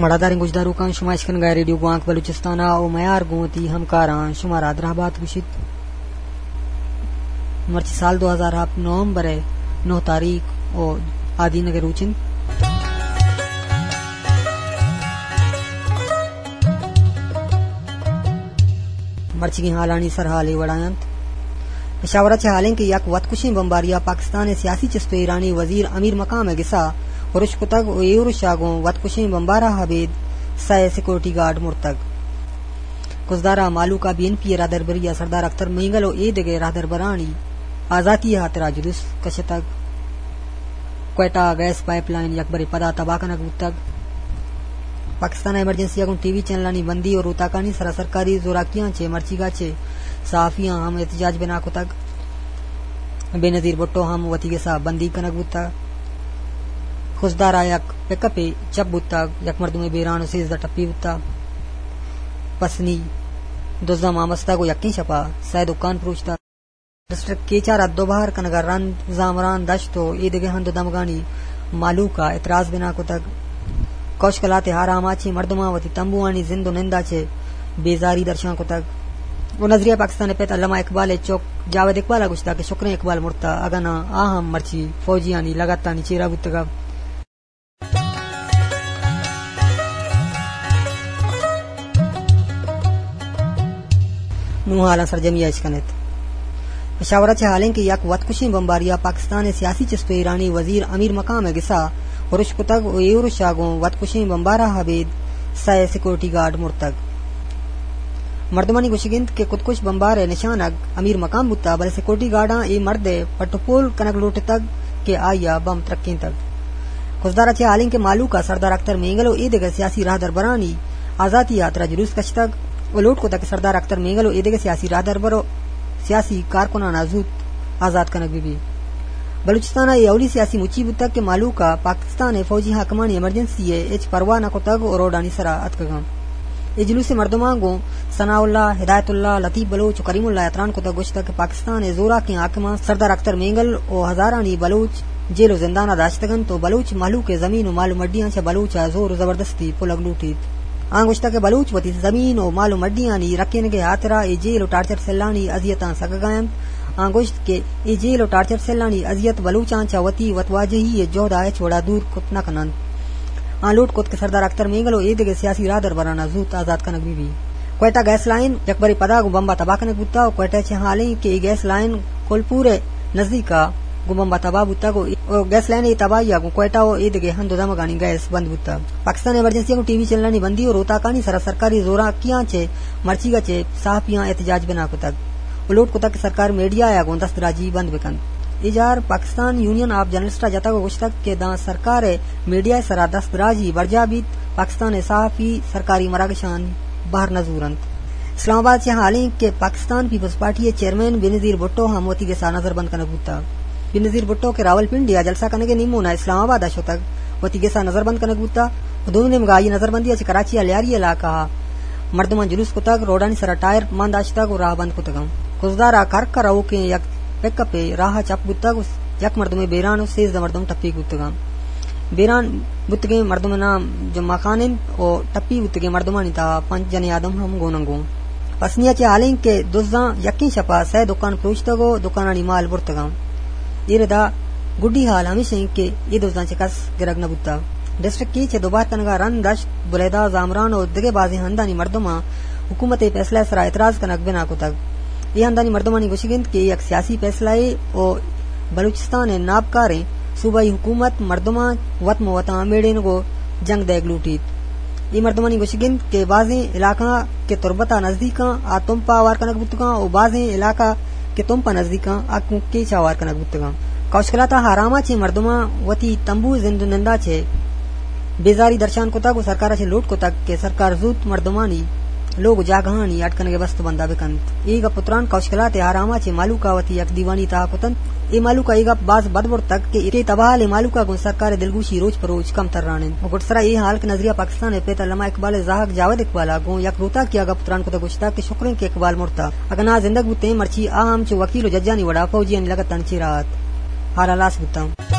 مڑاداریں گوشداروکاں، شما اشکنگا ریڈیو گوانک بلوچستان ءَ او میار گوں وتی ہمکاراں شمارا دراہ بات گوشیت۔ مرچی سال دو ہزار ہپت نومبر ءِ نو تاریخ او آدینگ ءِ روچ انت۔ مرچیگیں ہالانی سرحال اے وڑا انت۔ پشاور ءَ چہ ہالیں کہ یک وتکشیں بمباریا پاکستان ءِ سیاسی چست ءُ ایرانی وزیر امیر مقام ءِ گسا ارش کتگ ءُ اے ارش ءَ گوں وتکشیں بمبار ءَ ابید سئے سیکورٹی گارڈ مرتگ۔ کزدار ءَ مہلوک ءَ بی این پی ءِ راہدربری ءَ سردار اختر مینگل ءُ اے دگہ راہدربرانی آزاتی ءِ ہاترا جلوس کشتگ۔ کوئٹہ ءَ گیس پائپ لائن یکبرے پدا تباہ کنگ بوتگ۔ پاکستان ءَ ایمرجنسی ءَ گوں ٹی وی چینلانی بندی ءُ روتاکانی سرا سرکاری زوراکیاں چہ مرچیگا چہ صحافیاں ہم احتجاج بنا کتگ۔ بے نظیر بھٹو ہم وتی گسا بندیگ کنگ بوتگ۔ خضدار ءَ یک پک اپے چپ بوتگ، یک مردمے بیران ءُ سیزدہ ٹپی بوتگ۔ پسنی دزاں مامستگ ءُ یکیں شپا سئے دکان پروشتگ۔ ڈسٹرکٹ کیچ ءَ را دوبہر کنگ ءَ رند زامران دشت ءُ اے دگہ ہند ءُ دمگانی مہلوک ءَ اعتراض بنا کتگ۔ کوش کلات ءِ ہارام ءَ چہ مردماں وتی تمبوانی زند ءُ نند ءَ چہ بیزاری درشان کتگ۔ ءُ نظریہ پاکستان ءِ پت علامہ اقبال ءِ چک جاوید اقبال ءَ گوشتگ کہ شکریں اقبال مرتگ، اگاں ناں آ ہم مرچی فوجیانی لگتانی چیرا بوتگ۔ نوں ہالاں سرجمی ءَ اشکن ات۔ پشاور ءَ چہ ہالیں کہ یک وتکشیں بمباریا پاکستان ءِ سیاسی چست ءُ ایرانی وزیر امیر مقام ءِ گسا ارش کتگ ءُ اے ارش ءَ گوں وتکشیں بمبار ءَ ابید سئے سیکورٹی گارڈ مرتگ۔ مردمانی گوشگ انت کہ کتکش بمبار ءِ نشانگ امیر مقام بوتگ، بلے سیکورٹی گارڈاں اے مرد ءِ پٹ ءُ پول کنگ لوٹتگ کہ آئی ءَ بم ترکینتگ۔ خضدار ءَ چہ ہالیں کہ مہلوک ءَ سردار اختر مینگل ءُ اے دگہ سیاسی راہدربرانی آزاتی ءِ ہاترا جلوس کشتگ ءُ لوٹ کتگ کہ سردار اختر مینگل ءُ اے دگہ سیاسی راہدربر ءُ سیاسی کارکنان ءَ زوت آزات کنگ بہ بیت۔ بلوچستان ءَ اے اولی سیاسی مچی بوتگ کہ مہلوک ءَ پاکستان ءِ فوجی حاکمانی ایمرجنسی ءِ ہچ پرواہ نہ کتگ ءُ روڈانی سرا اتکگ انت۔ اے جلوس ءِ مردماں گوں ثناء اللہ، ہدایت اللہ، لطیف بلوچ ءُ کریم اللہ ءَ تران کتگ، گوشتگ کہ پاکستان ءِ زوراکیں حاکماں سردار اختر مینگل ءُ ہزارانی بلوچ جیل ءُ زندان ءَ داشتگ انت ءُ بلوچ مہلوک ءِ زمین ءُ مال ءُ مڈیاں چہ بلوچ ءَ زور ءُ زبردستی پلگ لوٹیت۔ آں گوشتگ کہ بلوچ وتی زمین ءُ مال ءُ مڈیانی رکینگ ءِ ہاترا اے جیل ءُ ٹارچر سیلانی اذیتاں سگگا انت۔ آں گوشت کہ اے جیل ءُ ٹارچر سیلانی اذیت بلوچاں چہ وتی وتواجہی ءِ جہد ءَ ہچ وڑا دور کت نہ کن انت۔ آں لوٹ کت کہ سردار اختر مینگل ءُ اے دگہ سیاسی راہدربراں زوت آزات کنگ بہ بیت۔ کوئٹہ گیس لائن یکبرے پدا گوں بمب ءَ تباہ کنگ بوتگ ءُ کوئٹہ ءَ چہ ہالیں کہ اے گیس لائن کولپور ءِ نزیک ءَ گوں بمب ءَ تباہ بوتگ ءُ گیس لائن ءِ تباہی ءَ گوں کوئٹہ ءُ اے دگہ ہند ءُ دمگانی گیس بند بوتگ۔ پاکستان ایمرجنسی ءَ گوں ٹی وی چینلانی بندی ءُ روتاکانی سرا سرکاری زوراکیاں چہ مرچیگ ءَ چہ صحافیاں احتجاج بنا کتگ ءُ لوٹ کتگ کہ سرکار میڈیا ءَ گوں دست دراجی بند بہ کنت۔ اے جار پاکستان یونین آف جرنلسٹ ءَ جتگ ءُ گوشتگ کہ داں سرکار ءِ میڈیا ءِ سرا دست دراجی برجاہ بیت، پاکستان ءِ صحافی سرکاری مراگشانی بہر نہ زور انت۔ اسلام آباد ءَ چہ ہالیں کہ پاکستان پیپلز پارٹی ءِ چیئرمین بینظیر بھٹو ہم وتی گس ءَ نظر بند کنگ بوتگ۔ بینظیر بھٹو کہ راولپنڈی ءَ جلسہ کنگ ءِ نیمون ءَ اسلام آباد ءَ شتگ، وتی گس ءَ نظر بند کنگ بوتگ ءُ دومی نیمگ ءَ آئی ءِ نظر بندی ءَ چہ کراچی ءِ لیاری علاقہ ءَ مردماں جلوس کتگ، روڈانی سرا ٹائر مان داشتگ ءُ راہ بند کتگ انت۔ کزدار ءَ کرک ءَ روکیں یک پک اپے راہ ءَ چپ بوتگ ءُ یک مردمے بیران ءُ سیزدہ مردم ٹپی بوتگ انت۔ بیران بوتگیں مردم ءِ نام جمعہ خان انت ءُ ٹپی بوتگیں مردمانی تہا پنچ جنیں آدم ہم گون انت۔ گوں پسنی ءَ چہ ہالیں کہ دزاں یکیں شپ ءَ سئے دکان پروشتگ ءُ دکانانی مال برتگ انت۔ اے ردا گڈی ہال ہمیش انت کہ اے دزاں چہ کس گرگ نہ بوتگ۔ ڈسٹرکٹ کیچ ءِ دوبار کنگ ءَ رند دشت، بلیدہ، زامران ءُ دگہ بازیں ہندانی مردماں حکومت ءِ فیصلہ ءِ سرا اعتراض کنگ بنا کتگ۔ اے ہندانی مردمانی گوشگ انت کہ اے یک سیاسی فیصلہ یے ءُ بلوچستان ءِ نابکاریں صوبائی حکومت مردماں وت ماں وتاں میڑینگ ءُ جنگ دئیگ لوٹیت۔ اے مردمانی گوشگ انت کہ بازیں علاقہ کہ تربت ءَ نزدیک آں، آ تمپ ءَ ہوار کنگ بوتگ آں ءُ بازیں علاقہ کہ تمپ ءَ نزدیک آں، آ گوں کیچ ءَ ہوار کنگ بوتگ آں۔ کوشکلات ءَ ہارام ءَ چہ مردماں وتی تمبو ءِ زند ءُ نند ءَ چہ بیزاری درشان کتگ ءُ سرکار ءَ چہ لوٹ کتگ کہ سرکار زوت مردمانی لوگ ءُ جاگہانی اڈ کنگ ءِ بست ءُ بند ءَ بہ کنت۔ اے گپ ءُ تران کوشکلات ءِ ہارام ءَ چہ مہلوک ءَ وتی یک دیوانی تہا کتنت۔ اے مہلوک ءَ اے گپ باز بد برتگ کہ اے تباہ حالیں مہلوک ءَ گوں سرکار ءِ دلگوشی روچ پہ روچ کم تران انت۔ ءُ گڈسرا اے ہال کہ نظریہ پاکستان ءِ پت علامہ اقبال ءِ زہگ جاوید اقبال ءَ گوں یک روتاکی ءَ گپ ءُ تران کتگ، گوشتگ کہ شکریں کہ اقبال مرتگ، اگاں ناں زندگ بوتیں مرچی آ ہم چو وکیل ءُ ججانی وڑا فوجیانی لگتانی چیرا ات۔ ہال ہلاس بوتاں۔